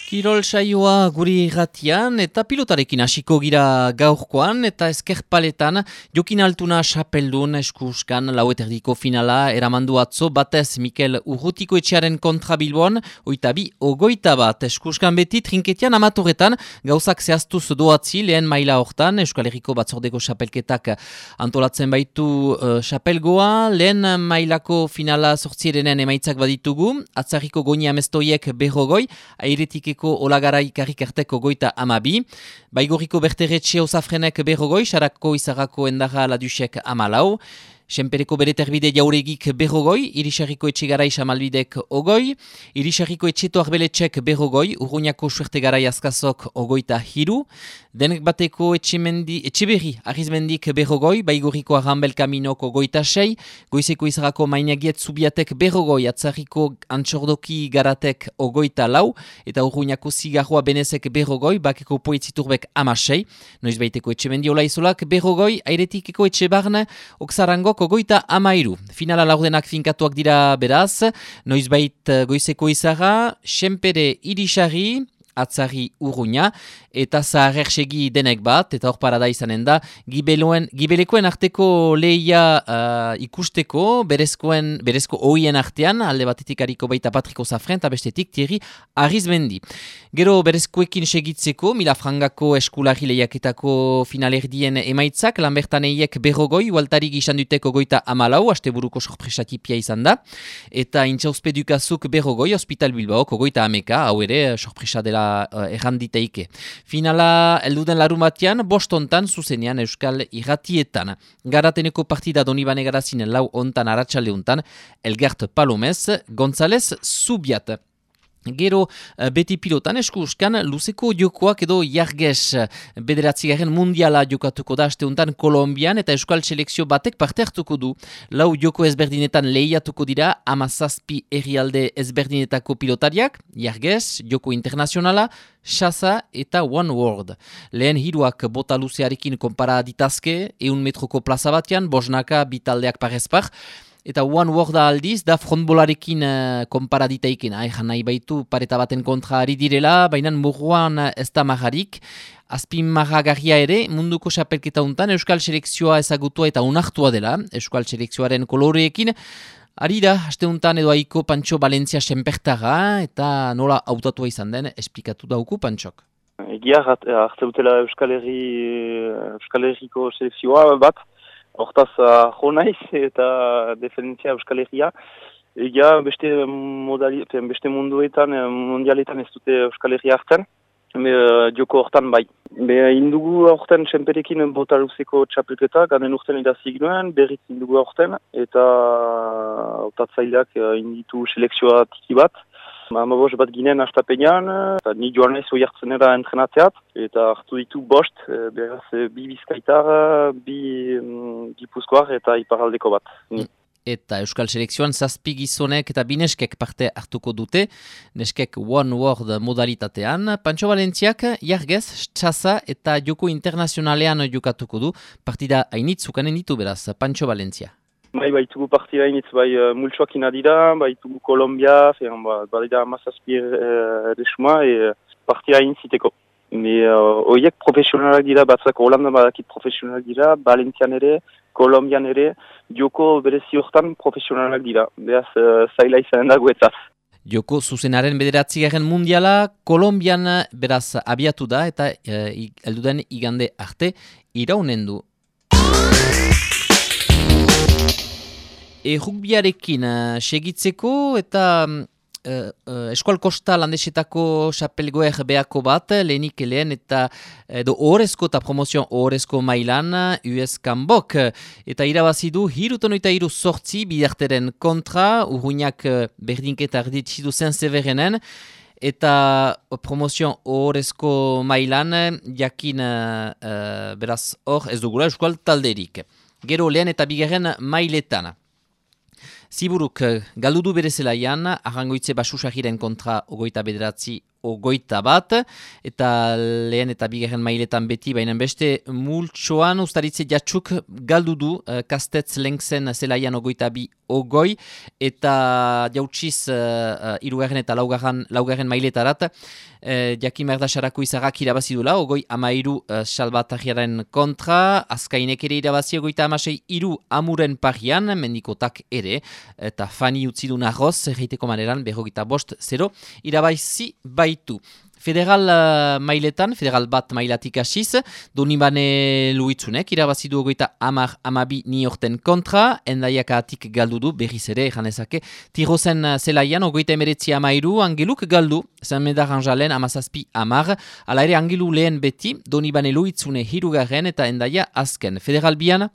Kirol saioa guri irratian eta pilotarekin hasiko gira gaurkoan eta ezkerpaletan Jokin Altuna xapeldun eskuskan laueterdiko finala eramandu atzo batez Mikel Urrutiko etxearen kontra Bilbon, 22-21 eskuskan beti trinketian amatorretan gauzak zehaztuz doatzi lehen maila hortan Euskal Herriko batzordeko xapelketak antolatzen baitu xapelgoa, lehen mailako finala sortzierenen emaitzak baditugu, atzarriko goni amestoiek berrogoi, airetikeko Olagarai karrikarteko goita amabi, Baigorriko Berteretxe Osafrenek berrogoi, Sarako Izarrako Endarra Ladusek amalau, Senpereko Bereterbide Jauregik berrogoi, Irisarriko Etxegarai Samalbidek ogoi, Irisarriko Etxeto Arbeletxek berrogoi, Urruñako Suertegarai Azkazok ogoita hiru, Denek bateko Etxeberri Arrizmendik berrogoi, Baigorriko Arrambel Kaminok ogoita sei, Goizeko Izarrako Mainagiet Zubiatek berrogoi, Atzarriko Antxordoki Garatek ogoita lau, eta Urruñako Zigarroa Benezek berrogoi, Bakeko Poetziturbek amasei, Noizbaiteko Etxemendi Olaizolak berrogoi, Airetikeko Etxebarne, Oksarangok ogoita amairu. Finala laurdenak finkatuak dira beraz, noizbait Goizeko Izarra, Senpere Irisarri, Atzarri Urruña, eta Zaharrersegi denek bat, eta hor parada izanen da, gibelekoen arteko lehia ikusteko, berezko oien artean, alde batetik hariko baita Patriko Zafren, eta bestetik Thierry Arrizmendi. Gero berezkoekin segitzeko, Milafrangako eskulari lehiaketako finalerdien emaitzak, Lambertaneiek berrogoi, Waltarik izan duteko goita amalau, asteburuko sorpresatipia izan da, eta Intxauspedukazuk berrogoi, Hospital Bilbaok goita ameka, hau ere sorpresa dela erranditeike. Finala elduden larumatian, bostontan zuzenean Euskal Irratietan. Garateneko partida Donibane Garazin lau ontan aratsaldeuntan, Elgert Palomez, González Zubiat. Gero beti pilotan eskuskan luzeko jokoak edo jarges bederatzigarren mundiala jokatuko da asteuntan Kolombian eta Euskal Selekzio batek parte hartuko du. Lau joko ezberdinetan lehiatuko dira 17 herrialde ezberdinetako pilotariak, jarges, joko internazionala, Xasa eta One World. Lehen hiruak bota luzearekin konpara ditazke, 100 metroko plaza batean, bosnaka bitaldeak parezpar, eta One World aldiz, da frontbolarekin konparaditaiken. Ejan nahi baitu pareta baten kontra ari direla, baina murruan ez da marrarik. Azpin marragarria ere, munduko xapelketa untan, Euskal Selekzioa ezagutua eta unartua dela, Euskal Selekzioaren koloreekin. Ari da, haste untan edo aiko Pantxo Valentzia senpertara, eta nola hautatua izan den, esplikatu dauku Pantxok. Egia, hartzeutela Euskal Herriko selekzioa bat, hortaz jo naiz eta defendentzia Euskal Herria. Egia beste munduetan, mundialetan ez dute Euskal Herria hartzen, joko hortan bai. Indugu horten Senperekin bota luzeko txapelketa, ganen urten idazik nuen, berriz indugu horten, eta otatzaileak inditu selekzioa tiki bat. Amabos bat ginen astapenean, eta ni joan naiz oiartzenera entrenatzeat, eta hartu ditu bost, beraz bi bizkaitar, bi gipuzkoar eta iparaldeko bat. Eta Euskal Selekzioan 7 gizonek eta 2 neskek parte hartuko dute, neskek One World modalitatean. Pantxo Valentziak jargez, txasa eta joko internazionalean jokatuko du, partida hainitzukanen ditu beraz, Pantxo Valentzia. Baitugu partida hainitz, multsoak inadira, baitugu Kolombia, badira 17 desuma, partida hainitziteko. Oiek profesionalak dira, batzak Holanda badakit profesionalak dira, Valentzian ere, Kolombian ere, joko berezi hortan profesionalak dira. Beraz, zaila izanen da guetzat. Joko zuzenaren 9. mundiala, Kolombian beraz abiatu da eta elduden igande arte iraunen du. Rugbiarekin segitzeko eta Eskual Kosta landesetako xapelgoer beako bat, lehenik lehen eta ohorezko eta promozion ohorezko mailan US Kanbok. Eta irabazi du 3-8 bidarteren kontra, Urruñak berdinketa arditzidu zen Severenen, eta promozion ohorezko mailan jakin beraz hor ez dugula Eskual talderik. Gero lehen eta bigarren mailetan. Ziburuk galdudu bere zelaian, Arrangoitze Basusagiren kontra 29 21, eta lehen eta bigarren mailetan beti, baina beste multsoan ustaritze jatxuk galdu du Kastetz Lenkzen zelaian 22, eta jautsiz hirugarren eta laugarren mailetarat, Jakin Merdasarako izagak irabazi dula, 23 Salbatarriaren kontra, Azkainek ere irabazi 26 Amuren parian, mendikotak ere, eta Fani utzi du nagoz, erreiteko maneran, 25-0, irabazi baitu. Federal mailetan, federal bat mailatik hasiz, Donibane Luitzunek irabazi du 22 Niorten kontra, Endaiak atik galdu du, berriz ere, janezake, Tirozen zelaian, 19 Angeluk galdu, Saint-Médard Anjalen, 17 ala ere Angelu lehen beti, Donibane Luitzune hirugarren eta Endaia azken. Federal bian,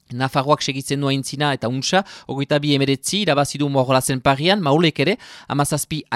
Nafarroak segitzen du aintzina eta untsa, 22 irabazidu Morolazen parian, Maulek ere, 17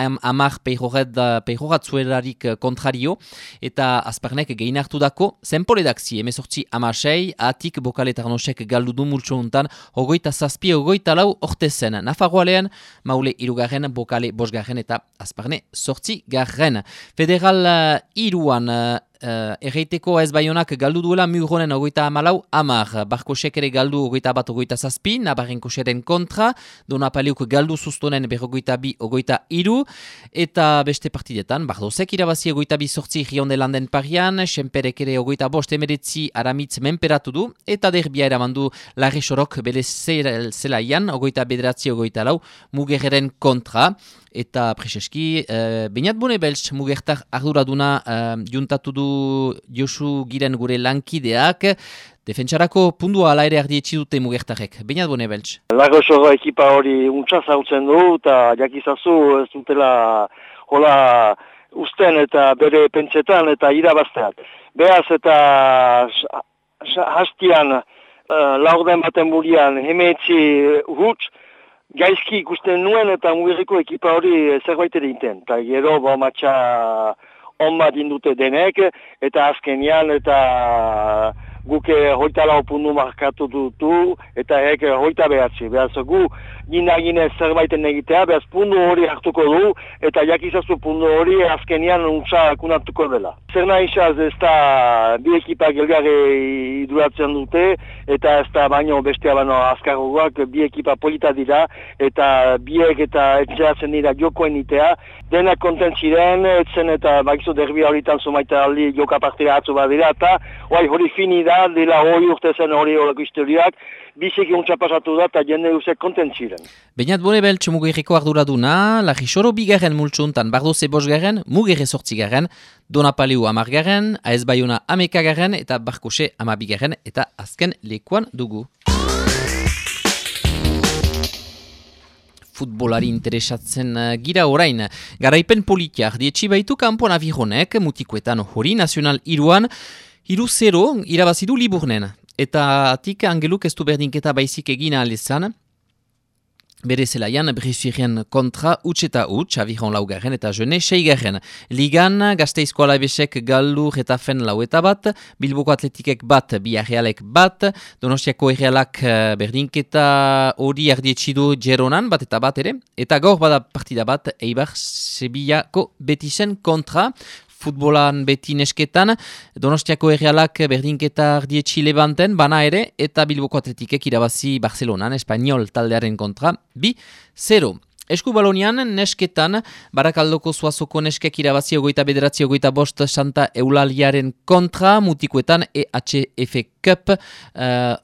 peijoratzuerarik kontrario, eta Azparnek gehin hartu dako, zenpoledak zi, 18 atik Bokaletarnosek galdu du multso untan, 27 ortezen. Nafarroalean, Maule irugarren, Bokale bosgarren eta Azparne 8garren. Federal iruan, erreiteko ez baionak galdu duela Mugronen 24 Barkosek ere galdu 21-27, Nabarrenkoseren kontra, Donapaliuk galdu sustonen 22-23, eta beste partidetan, Bardozek irabazi 22-8 Riondelanden parian, Senperek ere 25-19 Aramitz menperatu du, eta derbia eramandu Larre Sorok bere zelaian, 29-24 Mugerren kontra, eta preseski, Beñat Bonebeltz Mugertar arduraduna juntatu du Josu Giren gure lankideak, defentsarako pundua ala ere ardietsi dute Mugertarek. Beñat Bonebeltz. Larosoro ekipa hori untsa zautzen du, eta jakizazu ez dutela hola usten eta bere pentsetan eta irabazteak. Beaz eta hastian laurden baten burian hemetzi huts, gaizki ikusten nuen eta Mugerriko ekipa hori zerbait ere inten. Eta gero matxa onbat indute denek, eta azkenian eta guke 24 puntu markatu dutu, eta eke 29. Beaz gu gina zerbaiten egitea, beaz puntu hori hartuko du, eta jakizazu puntu hori azkenian untsa kunatuko dela. Zer nahizaz ez da bi ekipak elgarre iduratzen dute, eta ez da baino bestea baino azkarroak bi ekipa polita dira, eta biek eta etxeratzen dira jokoen itea, denak kontent ziren, etzen eta bakizu derbia horitan zumaita aldi joka partida atzu badira, eta hori fini da, dela hori urte zen hori horako historiak, biziki untsa pasatu da eta jende duzek kontent ziren. Beñat Bonebeltz Mugerriko arduraduna, Larrisoro bigarren multsuntan, Bardoze bosgarren, Mugerre 8garren, Donapaliu 10garren, AS Baiona 11garren eta Barkose 12garren eta azken lekuan dugu. Futbolari interesatzen gira orain. Garaipen politia ardietxi baitu kanpoan avironek, mutikoetan hori nazional iruan, 3-0 irabazidu Liburnen. Eta atik Angeluk ez du berdinketa baizik egina alezan, bere zelaian Bressuirien kontra utx eta utx, aviron laugarren eta jene 6garren. Ligan, Gasteizko Alabesek galdu Retafen laueta bat, Bilboko Atletikek bat, Biarrealek bat, Donostiako Errealak berdinketa hori ardietxidu Geronan bat eta bat ere, eta gaur bada partida bat Eibar Sevillako Betisen kontra, futbolan beti nesketan, Donostiako Errealak berdinketa ardietxi Levanten, bana ere, eta Bilboko Atletikek irabazi Barcelonan, Espanyol taldearen kontra, 2-0. Eskubalonian, nesketan, Barakaldoko Zuazoko neskek irabazi 29-25 Santa Eulaliaren kontra, mutikoetan EHF Cup,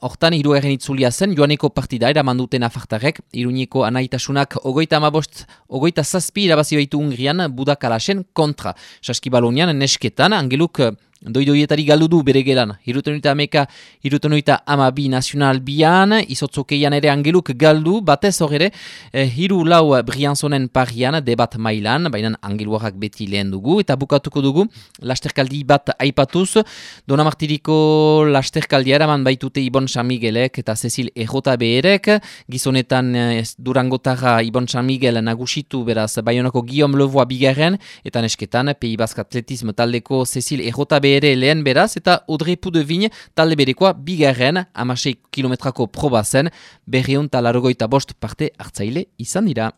hortan hirugarren itzulia zen, joaneko partida eramanduten afartarek, Iruñeko anaitasunak 27 irabazi baitu Hungrian, Budakalasen kontra. Saskibalonian, nesketan, Angeluk doidoietari galdu du bere gelan. 72 nazional bian, izotzokeian ere Angeluk galdu, batez horre, 3-4 Brianzonen parian, debat mailan, baina Angeluarrak beti lehen dugu, eta bukatuko dugu, lasterkaldi bat aipatuz, Donamartiriko lasterkaldia eraman baitute Ibon San Miguelek eta Cecil Errota beherek, gizonetan Durangotarra Ibon San Miguel nagusitu beraz Baionako Guillaume Levoa bigarren, eta nesketan Pays Basque Atletisme taldeko Cecil Errota ere lehen beraz, eta Audrey Poudevin talde berekoa bigarren, 16 kilometrako proba zen, 205 parte hartzaile izan dira.